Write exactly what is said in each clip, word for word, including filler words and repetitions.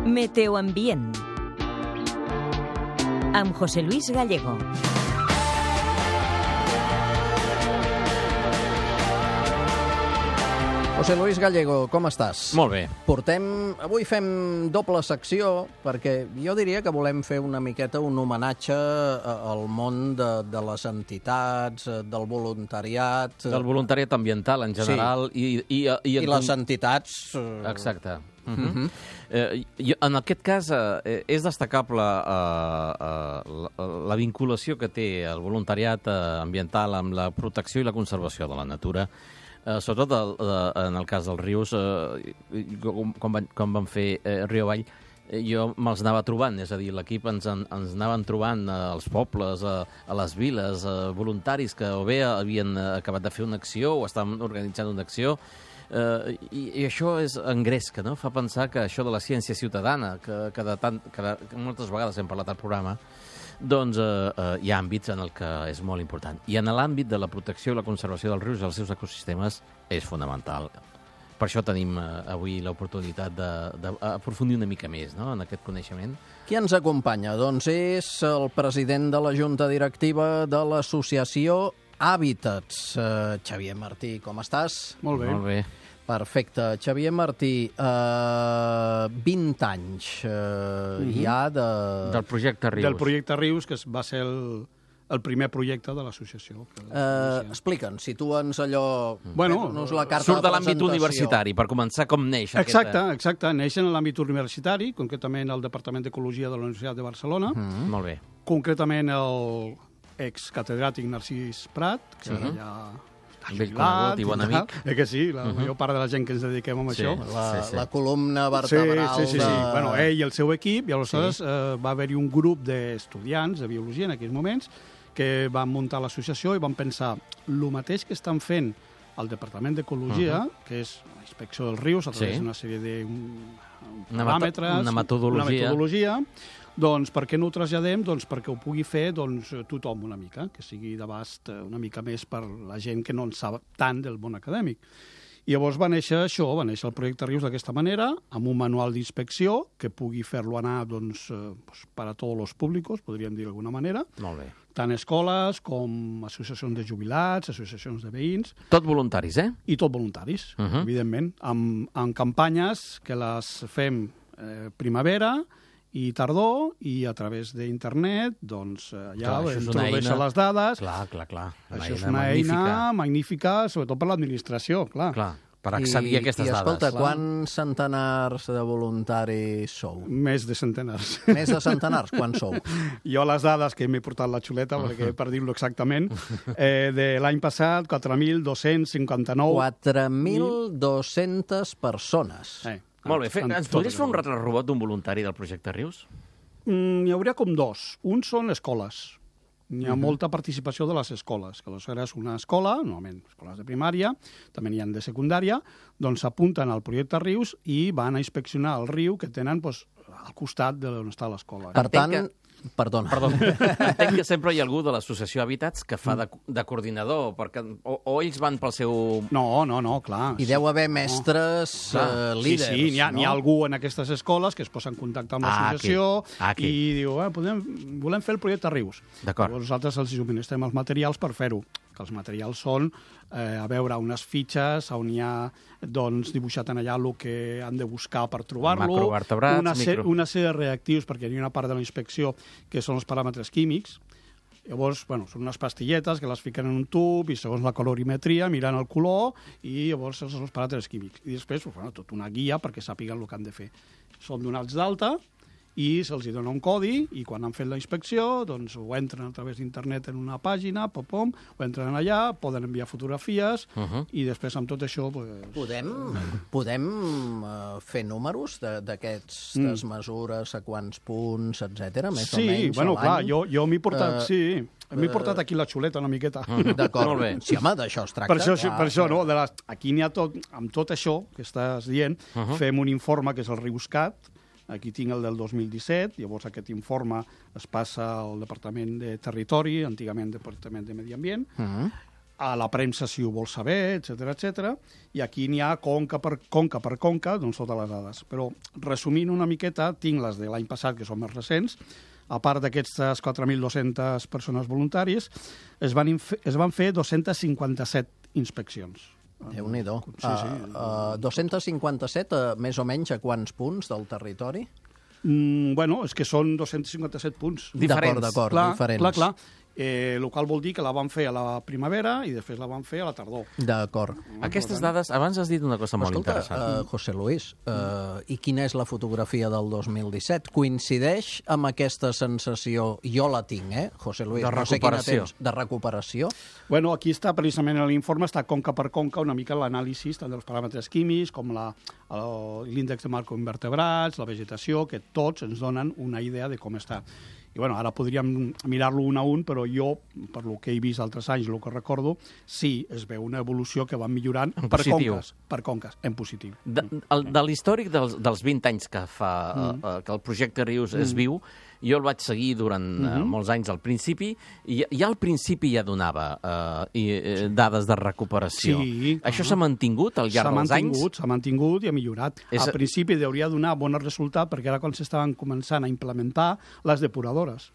Meteoambient amb José Luis Gallego. José Luis Gallego, com estàs? Molt bé. Portem... Avui fem doble secció, perquè jo diria que volem fer una miqueta un homenatge al món de, de les entitats, del voluntariat... Del voluntariat ambiental, en general. Sí. I, i, i, I les entitats... Exacte. Uh -huh. Uh -huh. eh, i, en aquest cas, eh, és destacable eh, eh, la, la vinculació que té el voluntariat eh, ambiental amb la protecció i la conservació de la natura. Uh, sobretot el, uh, en el cas dels rius, uh, com, com, van, com van fer uh, Riu Avall, uh, jo me'ls anava trobant, és a dir, l'equip ens, en, ens anaven trobant uh, als pobles, uh, a les viles, uh, voluntaris que o bé havien uh, acabat de fer una acció o estaven organitzant una acció, uh, i, i això és engresca, no? Fa pensar que això de la ciència ciutadana, que, que, de tant, que, de, que moltes vegades hem parlat al programa, doncs eh, eh, hi ha àmbits en el que és molt important. I en l'àmbit de la protecció i la conservació dels rius i els seus ecosistemes és fonamental. Per això tenim eh, avui l'oportunitat d'aprofundir una mica més, no?, en aquest coneixement. Qui ens acompanya? Doncs és el president de la Junta Directiva de l'associació Hàbitats. Eh, Xavier Martí, com estàs? Molt bé. Molt bé. Perfecte. Xavier Martí, eh, vint anys eh, uh-huh. ja de... Del projecte Rius. Del projecte Rius, que va ser el, el primer projecte de l'associació. Eh, Explica'ns, situa'ns allò... Bueno, la carta surt de, de l'àmbit universitari, per començar, com neix exacte, aquesta... Exacte, neix en l'àmbit universitari, concretament al Departament d'Ecologia de la Universitat de Barcelona. Mm, molt bé. Concretament el excatedràtic Narcís Prat, que sí. ara ja... Vell conegut i bon amic. Eh que sí, la uh -huh. major part de la gent que ens dediquem a sí, això. La, sí, sí. la columna vertebral sí, sí, sí, sí. de... Bueno, ell i el seu equip, i aleshores sí. eh, va haver-hi un grup d'estudiants de biologia en aquells moments que van muntar l'associació i van pensar el mateix que estan fent al Departament d'Ecologia, uh -huh. que és la inspecció dels rius a través sí. d'una sèrie de un, una paràmetres, una metodologia. una metodologia. Doncs per què no ho traslladem? Doncs perquè ho pugui fer doncs, tothom una mica, que sigui d'abast una mica més per la gent que no en sap tant del món acadèmic. I llavors va néixer això, va néixer el projecte Rius d'aquesta manera, amb un manual d'inspecció que pugui fer-lo anar doncs, eh, pues, per a tots els públics, podríem dir d'alguna manera. Molt bé. Tant escoles com associacions de jubilats, associacions de veïns. Tot voluntaris, eh? I tot voluntaris, uh -huh. evidentment, amb, amb campanyes que les fem eh, primavera i tardor, i a través d'internet, doncs, allà introdueixen les dades. Clar, clar, clar. Una això és una magnífica. eina magnífica, sobretot per l'administració, clar. Clar, per accedir I, a aquestes i, escolta, dades. I, escolta, quants centenars de voluntaris sou? Més de centenars. Més de centenars? Quants sou? Jo les dades, que m'he portat la xuleta, uh -huh. perquè per dir-lo exactament, eh, de l'any passat, quatre mil dos-cents cinquanta-nou... quatre mil dos-centes persones. Eh. Molt bé. Fe, ens podries fer un retrobot d'un voluntari del projecte Rius? Mm, hi hauria com dos. Un són escoles. Hi ha uh -huh. molta participació de les escoles, que aleshores una escola, normalment escoles de primària, també n'hi ha de secundària, doncs s'apunten al projecte Rius i van a inspeccionar el riu que tenen doncs, al costat d'on està l'escola. Per tant... Que... Perdona. Perdó. Entenc que sempre hi ha algú de l'associació Hàbitats que fa de, de coordinador, perquè, o, o ells van pel seu... No, no, no, clar. Hi deu haver mestres no. uh, líders. Sí, sí, n'hi ha, no? n'hi ha algú en aquestes escoles que es posa en contacte amb l'associació ah, aquí. Aquí. i diu, eh, podem, volem fer el projecte Rius. D'acord. Nosaltres els subministrem els materials per fer-ho, que els materials són, eh, a veure, unes fitxes on hi ha doncs, dibuixat en allà el que han de buscar per trobar-lo, macrovertebrats, una, micro... una sèrie de reactius, perquè hi ha una part de la inspecció que són els paràmetres químics. Llavors, bueno, són unes pastilletes que les fiquen en un tub i segons la colorimetria miren el color i llavors són els paràmetres químics. I després, bueno, tot una guia perquè sàpiguen el que han de fer. Són donats d'alta i se'ls dona un codi i quan han fet la inspecció doncs ho entren a través d'internet en una pàgina, pom, pom, ho entren allà, poden enviar fotografies uh -huh. i després amb tot això... Pues... Podem, podem uh, fer números d'aquestes mm. mesures, a quants punts, etcètera, més sí, o menys bueno, a clar, l'any? jo, jo m'he portat, uh, uh, sí, m'he portat aquí la xuleta una miqueta. Mm, D'acord, molt bé. Sí, home, d'això es tracta. Per això, clar, per això no? De les, aquí n'hi ha tot, amb tot això que estàs dient, uh -huh. fem un informe que és el Riuscat. Aquí tinc el del dos mil disset, llavors aquest informe es passa al Departament de Territori, antigament Departament de Medi Ambient. Uh -huh. a la premsa si ho vol saber, etcètera, etcètera. I aquí n'hi ha conca per conca, per conca, doncs totes les dades. Però, resumint una miqueta, tinc les de l'any passat, que són més recents. A part d'aquestes quatre mil dues-centes persones voluntàries, es van, es van fer dos-centes cinquanta-set inspeccions. Déu-n'hi-do. Sí, sí. Uh, uh, dos-cents cinquanta-set, uh, més o menys, a quants punts del territori? Mm, bueno, és que són dos-cents cinquanta-set punts. Diferents. D'acord, d'acord, clar, diferents. Clar, clar. Eh, el qual vol dir que la van fer a la primavera i després la van fer a la tardor. D'acord. Aquestes dades, abans has dit una cosa molt Escolta, interessant. Uh, José Luis, uh, i quina és la fotografia del dos mil disset? Coincideix amb aquesta sensació, jo la tinc, eh, José Luis? De no sé quina recuperació. tens, de recuperació? Bueno, aquí està precisament en l'informe, està conca per conca una mica l'anàlisi tant dels paràmetres químics com la, l'índex de macroinvertebrats, la vegetació, que tots ens donen una idea de com està. I bueno, ara podríem mirar-lo un a un, però jo, per lo que he vist altres anys, el que recordo, sí, es veu una evolució que va millorant en per positiu. conques, per conques, en positiu. De, el, de l'històric dels, dels vint anys que fa mm. uh, que el projecte Rius mm. es viu, jo el vaig seguir durant uh, mm-hmm. molts anys al principi, i ja al principi ja donava uh, i, uh, dades de recuperació. Sí, Això s'ha mantingut al llarg dels anys? S'ha mantingut i ha millorat. És... Al principi hauria de donar bon resultat, perquè era quan s'estaven començant a implementar les depuradores,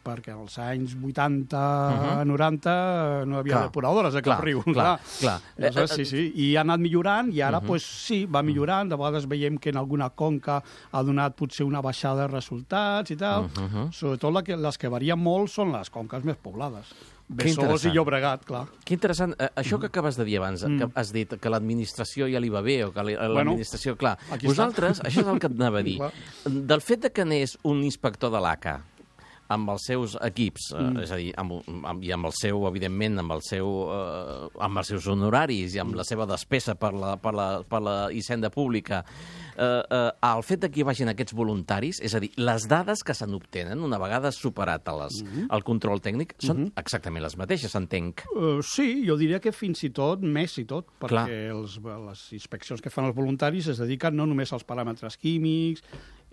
perquè als anys vuitanta, uh-huh. noranta no hi havia clar. depuradores a cap clar, riu. Clar, clar. Aleshores, sí, sí. I ha anat millorant, i ara, uh-huh. pues, sí, va millorant. De vegades veiem que en alguna conca ha donat potser una baixada de resultats i tal. Uh-huh. Sobretot la que, les que varien molt són les conques més poblades. Besòs i Llobregat, clar. Que interessant. Uh, això que acabes de dir abans, mm. que has dit que l'administració ja li va bé, o que l'administració... Bueno, clar, vosaltres, està. Això és el que et anava a dir. Del fet de que n'és un inspector de l'A C A, amb els seus equips, mm. eh, és a dir, amb, amb, i amb el seu, evidentment, amb, el seu, eh, amb els seus honoraris i amb mm. la seva despesa per la, per la, per la hisenda pública, eh, eh, el fet que hi vagin aquests voluntaris, és a dir, les dades que se n'obtenen, una vegada superat les, mm. el control tècnic, són mm. exactament les mateixes, entenc. Uh, sí, jo diria que fins i tot, més i tot, perquè els, les inspeccions que fan els voluntaris es dediquen no només als paràmetres químics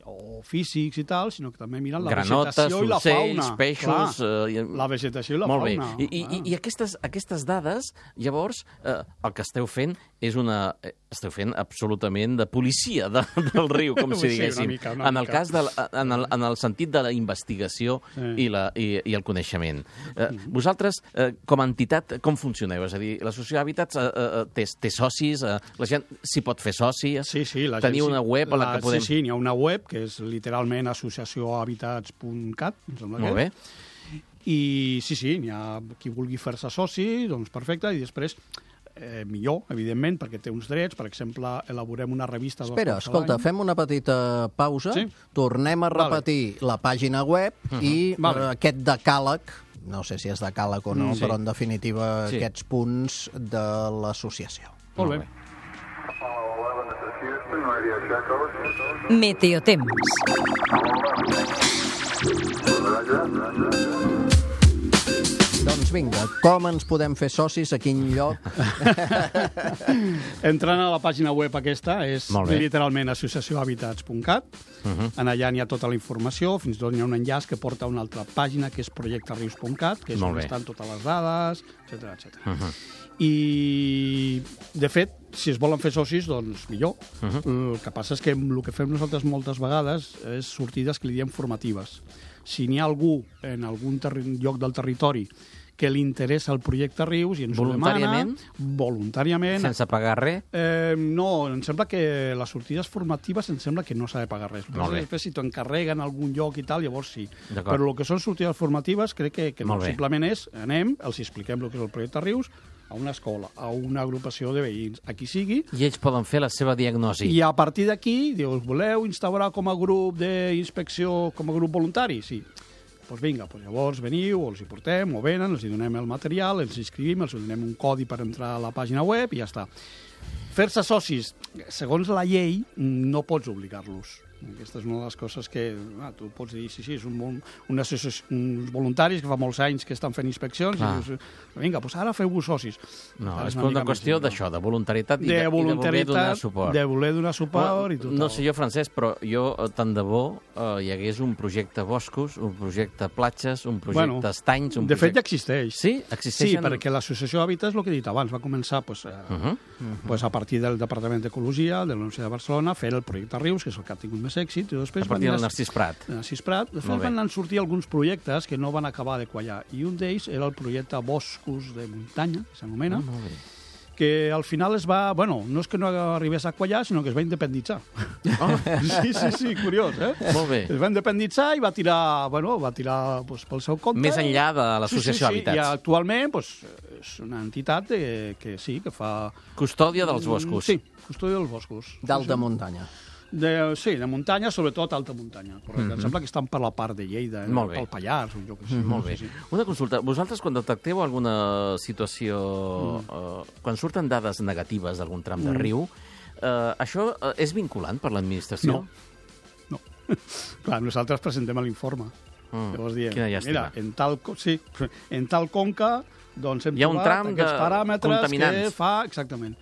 o físics i tal, sinó que també miren la Granotes, vegetació i la fauna. Granotes, peixos... Eh, la vegetació i la molt fauna. Bé. I, i, i aquestes, aquestes dades, llavors, eh, el que esteu fent és una... Esteu fent absolutament de policia de, del riu, com si diguéssim. Sí, una mica, una en, el cas de, en, el, en el sentit de la investigació sí. i, la, i, i el coneixement. Eh, vosaltres, eh, com a entitat, com funcioneu? És a dir, l'associació d'hàbitats eh, eh, té, té socis? Eh, la gent s'hi pot fer soci? Sí, sí. La Teniu gent, una web a la, la que podem... Sí, sí, n'hi ha una web que és literalment associació habitats punt cat. Molt bé. I sí, sí, n'hi ha qui vulgui fer-se soci, doncs perfecte, i després... Eh, millor, evidentment, perquè té uns drets. Per exemple, elaborem una revista... Espera, escolta, fem una petita pausa, sí? Tornem a repetir vale. la pàgina web uh-huh. i vale. aquest decàleg, no sé si és decàleg o no, mm, sí. però en definitiva sí. aquests punts de l'associació. Molt bé. Meteotemps. Doncs vinga, com ens podem fer socis, a quin lloc? Entrant a la pàgina web aquesta, és literalment associació habitats punt cat. Uh-huh. En allà n'hi ha tota la informació, fins i tot n'hi ha un enllaç que porta a una altra pàgina, que és projecte rius punt cat, que és on estan totes les dades, etcètera, etcètera. Uh-huh. I, de fet, si es volen fer socis, doncs millor. Uh-huh. El que passa és que el que fem nosaltres moltes vegades és sortides que li diem formatives. Si n'hi ha algú en algun lloc del territori que li interessa el projecte Rius i ens ho demana... Voluntàriament. Sense pagar res? Eh, no, em sembla que les sortides formatives em sembla que no s'ha de pagar res. Després, si t'ho encarreguen a algun lloc i tal, llavors sí. Però el que són sortides formatives crec que, que no. Simplement és, anem, els expliquem el que és el projecte Rius, a una escola, a una agrupació de veïns, a qui sigui. I ells poden fer la seva diagnosi. I a partir d'aquí, dius, voleu instaurar com a grup d'inspecció, com a grup voluntari? Sí. Doncs pues vinga, pues llavors veniu, els hi portem, o venen, els hi donem el material, els inscrivim, els hi donem un codi per entrar a la pàgina web i ja està. Fer-se socis, segons la llei, no pots obligar-los. Aquesta és una de les coses que ah, tu pots dir, sí, sí, és un, una uns voluntaris que fa molts anys que estan fent inspeccions ah. i dius, vinga, doncs ara feu-vos socis. No, és una, una qüestió d'això, de voluntarietat i de, de, voluntaritat, i de voler donar suport. De voler donar suport well, i tot. No sé jo, Francesc, però jo, tant de bo, eh, hi hagués un projecte boscos, un projecte platges, un projecte bueno, estanys... Un de projecte... fet, ja existeix. Sí? Existeixen... Sí, perquè l'associació Hàbitat és el que he dit abans, va començar pues, a, uh -huh. Uh -huh. pues, a partir del Departament d'Ecologia de la Universitat de Barcelona, fer el projecte Rius, que és el que ha tingut més èxit, i després a partir del Narcís Prat. Narcís Prat. De fet, van sortir alguns projectes que no van acabar de quallar. I un d'ells era el projecte Boscos de Muntanya, que s'anomena, ah, que al final es va... Bueno, no és que no arribés a quallar, sinó que es va independitzar. Oh. Sí, sí, sí, curiós, eh? Molt bé. Es va independitzar i va tirar, bueno, va tirar pues, pel seu compte. Més enllà de l'associació sí, sí, sí. Hàbitats. I actualment pues, és una entitat que, que sí, que fa... Custòdia dels boscos. Sí, custòdia dels boscos. D'alta muntanya. De, sí, de muntanya, sobretot alta muntanya. Correcte. Mm -hmm. Em sembla que estan per la part de Lleida, pel Pallars, o jo que sé. Mm, molt bé. Sí, sí. Una consulta. Vosaltres, quan detecteu alguna situació... Mm. Eh, quan surten dades negatives d'algun tram de mm. riu, eh, això eh, és vinculant per l'administració? No. No. Clar, nosaltres presentem l'informe. Mm. Llavors diem, mira, en tal, sí, en tal conca doncs hem Hi ha un trobat tram aquests de paràmetres contaminants. Que fa... Exactament.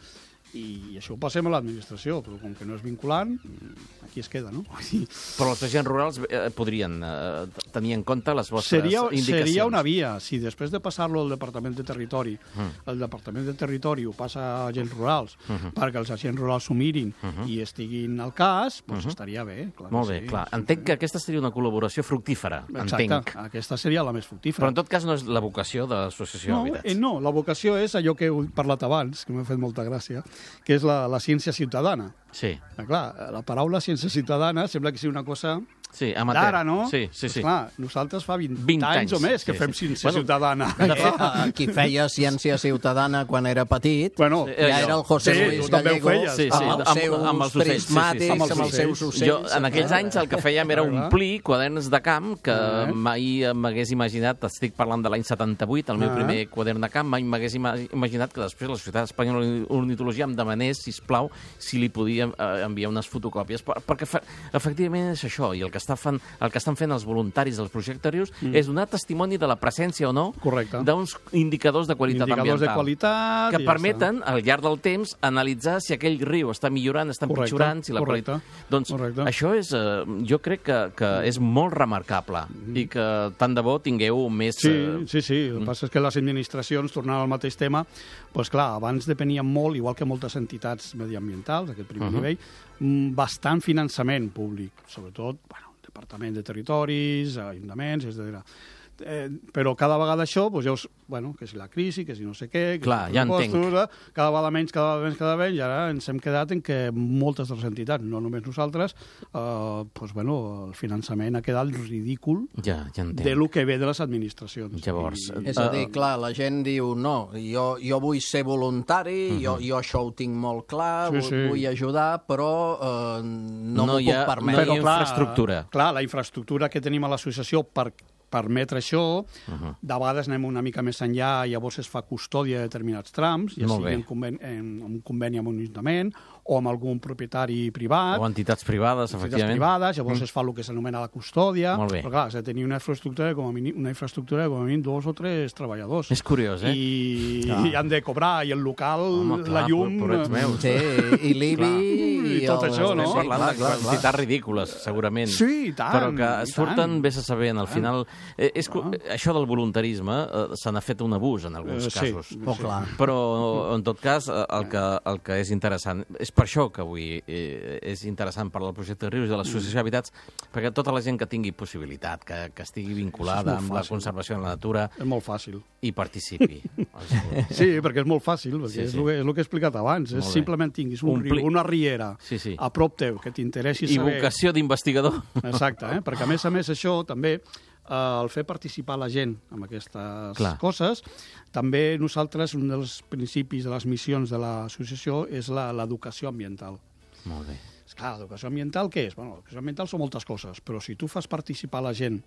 I això ho passem a l'administració, però com que no és vinculant, aquí es queda, no? Sí. Però els agents rurals eh, podrien eh, tenir en compte les vostres seria, indicacions. Seria una via. Si després de passar-lo al Departament de Territori, mm. el Departament de Territori ho passa a agents rurals, mm -hmm. perquè els agents rurals s'ho mirin mm -hmm. i estiguin al cas, doncs mm -hmm. estaria bé. Clar Molt bé, sí, clar. Sí, entenc sí. que aquesta seria una col·laboració fructífera. Exacte, entenc. Aquesta seria la més fructífera. Però en tot cas no és la vocació de l'Associació no, Hàbitats. Eh, no, la vocació és allò que he parlat abans, que m'ha fet molta gràcia, que és la, la ciència ciutadana. Sí. Ah, clar, la paraula ciència ciutadana sembla que sigui una cosa sí, d'ara, no? Sí, sí, sí. Pues clar, nosaltres fa vint, vint anys, anys o més que sí, fem sí. ciència bueno, ciutadana. De fet, qui feia ciència ciutadana quan era petit, bueno, ja era el José sí, Luis Gallego, sí, sí, amb els seus amb els prismàtics, amb els, amb els seus ocells. Jo, en aquells anys, el que fèiem era omplir quaderns de camp, que ah. mai m'hagués imaginat, estic parlant de l'any setanta-vuit, el meu ah. primer quadern de camp, mai m'hagués imaginat que després la Societat Espanyola d'Ornitologia em demanés, sisplau, si li podia enviar unes fotocòpies, perquè efectivament és això, i el que, està fan, el que estan fent els voluntaris dels projectes Rius mm. és donar testimoni de la presència o no d'uns indicadors de qualitat indicadors ambiental de qualitat, que permeten, ja al llarg del temps, analitzar si aquell riu està millorant, està empitjorant, si la correcte, qualitat... Doncs correcte. Això és, eh, jo crec que, que és molt remarcable mm. i que tant de bo tingueu més... Sí, eh... sí, sí. El que passa és que les administracions, tornant al mateix tema, doncs clar, abans depenien molt, igual que moltes entitats mediambientals, aquest primer uh -huh. nivell, bastant finançament públic, sobretot, bueno, Departament de Territoris, ajuntaments, etcètera. Eh, però cada vegada això, doncs ja us, bueno, que si la crisi, que si no sé què... Que clar, si ja entenc. Postura, cada vegada menys, cada vegada menys, cada vegada menys, i ara ens hem quedat en que moltes de les entitats, no només nosaltres, eh, doncs, bueno, el finançament ha quedat ridícul ja, ja de lo que ve de les administracions. Llavors... I, és a dir, clar, la gent diu, no, jo, jo vull ser voluntari, uh -huh. jo, jo això ho tinc molt clar, sí, vull, sí. vull ajudar, però eh, no, no m'ho puc permetre. No hi ha infraestructura. Clar, clar, la infraestructura que tenim a l'associació per permetre això, uh -huh. de vegades anem una mica més enllà i llavors es fa custòdia de determinats trams, ja sigui en, conven en, en un conveni amb un ajuntament o amb algun propietari privat. O entitats privades, entitats efectivament. privades, llavors mm. es fa el que s'anomena la custòdia. Molt bé. Però clar, has de tenir una infraestructura com a mínim, una infraestructura com a mínim dos o tres treballadors. És curiós, eh? I, ah. i han de cobrar, i el local, Home, clar, la llum... Por, meus. Sí, i l'I B I... I, i tot el... això, no? Estem parlant de quantitats ridícules, segurament. Sí, i tant. Però que surten, vés a saber, en el final... Eh, és, ah. Això del voluntarisme eh, se n'ha fet un abús en alguns eh, casos. Sí, oh, clar. Però, en tot cas, el que, el que és interessant... És per això que avui eh, és interessant parlar del projecte Rius i de l'Associació d'Habitats, perquè tota la gent que tingui possibilitat, que, que estigui vinculada amb la conservació de la natura... És molt fàcil. I participi. Sí, perquè és molt fàcil, perquè sí, és, sí. El que, és el que he explicat abans. És simplement tinguis un, un riu, una riera sí, sí. a prop teu, que t'interessi saber... I vocació d'investigador. Exacte, eh? Perquè a més a més això també... Uh, el fer participar la gent en aquestes Clar. coses. També nosaltres, un dels principis de les missions de l'associació és l'educació ambiental. Molt bé. Esclar, l'educació ambiental què és? Bueno, l'educació ambiental són moltes coses, però si tu fas participar la gent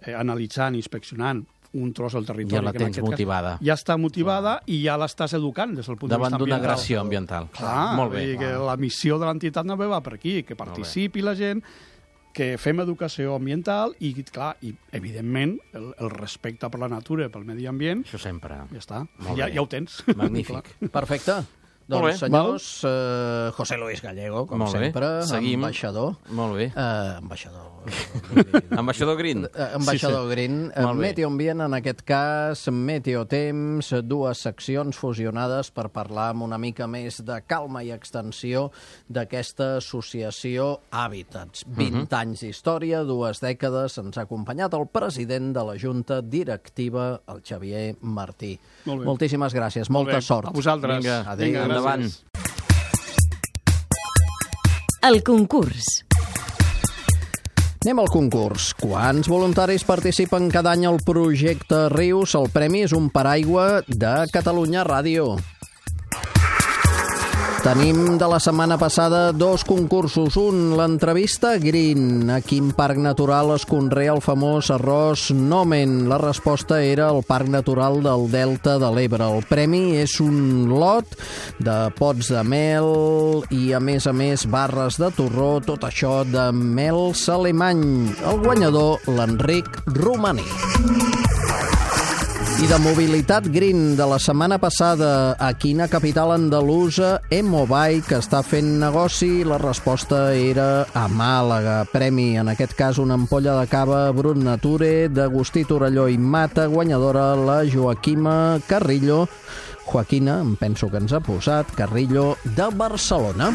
eh, analitzant, inspeccionant, un tros del territori. Ja la tens motivada. Cas, ja està motivada ah. i ja l'estàs educant des del punt Davant de vista ambiental. Davant d'una agressió ambiental. Clar, molt bé. Que la missió de l'entitat no va per aquí, que participi la gent, que fem educació ambiental i, clar, i evidentment, el, el respecte per la natura, pel medi ambient... Això sempre. Ja està, ja, ja ho tens. Magnífic. Perfecte. Doncs, senyors, eh, José Luis Gallego, com Molt sempre, Seguim. ambaixador. Molt bé. Eh, ambaixador. ambaixador Green. Eh, ambaixador sí, sí. Green. Eh, Meteoambient, en aquest cas, Meteotemps, dues seccions fusionades per parlar amb una mica més de calma i extensió d'aquesta associació Hàbitats. vint uh-huh. anys d'història, dues dècades, ens ha acompanyat el president de la Junta Directiva, el Xavier Martí. Molt Moltíssimes gràcies, molta Molt sort. A vosaltres. Vinga, adéu. Vinga endavant. El concurs. Anem al concurs. Quants voluntaris participen cada any al projecte Rius? El premi és un paraigua de Catalunya Ràdio. Tenim de la setmana passada dos concursos. Un, l'entrevista Green. A quin parc natural es conrea el famós arròs Nomen? La resposta era el Parc Natural del Delta de l'Ebre. El premi és un lot de pots de mel i, a més a més, barres de torró, tot això de mel alemany. El guanyador, l'Enric Romaní. I de mobilitat green de la setmana passada, a quina capital andalusa Emobike està fent negoci? La resposta era a Màlaga. Premi, en aquest cas, una ampolla de cava Brut Nature d'Agustí Torelló i Mata, guanyadora la Joaquima Carrillo. Joaquina, em penso que ens ha posat, Carrillo, de Barcelona.